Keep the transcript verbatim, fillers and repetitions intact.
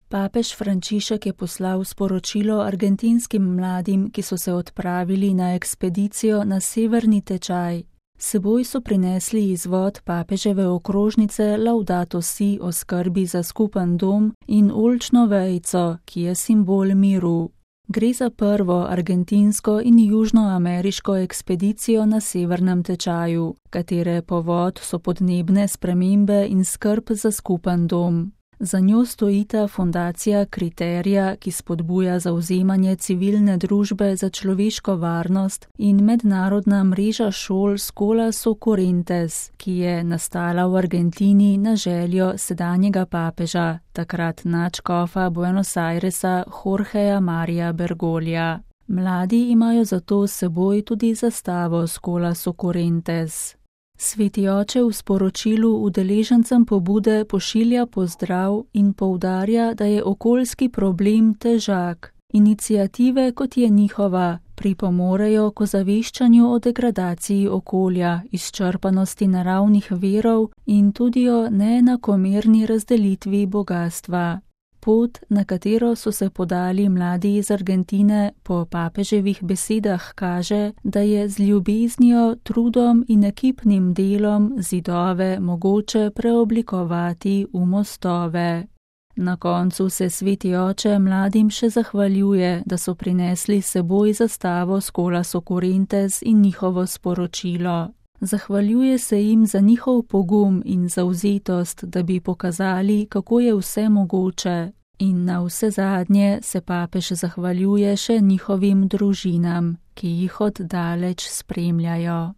Papež Frančišek je poslal sporočilo argentinskim mladim, ki so se odpravili na ekspedicijo na severni tečaj. S seboj so prinesli izvod papeževe okrožnice Laudato si o skrbi za skupen dom in oljčno vejico, ki je simbol miru. Gre za prvo argentinsko in južnoameriško ekspedicijo na severnem tečaju, katere povod so podnebne spremembe in skrb za skupen dom. Za njo stojita fundacija Kriterija, ki spodbuja zavzemanje civilne družbe za človeško varnost, in mednarodna mreža šol Schola Socorrentes, ki je nastala v Argentini na željo sedanjega papeža, takrat nadškofa Buenos Airesa Jorgeja Maria Bergoglja. Mladi imajo zato s seboj tudi zastavo Schola Socorrentes. Sveti oče v sporočilu udeležencem pobude pošilja pozdrav in poudarja, da je okoljski problem težak. Iniciative, kot je njihova, pripomorejo k ozaveščanju o degradaciji okolja, izčrpanosti naravnih virov in tudi o neenakomerni razdelitvi bogastva. Pot, na katero so se podali mladi iz Argentine, po papeževih besedah kaže, da je z ljubeznijo, trudom in ekipnim delom zidove mogoče preoblikovati v mostove. Na koncu se sveti oče mladim še zahvaljuje, da so prinesli s seboj zastavo Schola Socorrentes in njihovo sporočilo. Zahvaljuje se jim za njihov pogum in zavzetost, da bi pokazali, kako je vse mogoče, in na vse zadnje se papež zahvaljuje še njihovim družinam, ki jih od daleč spremljajo.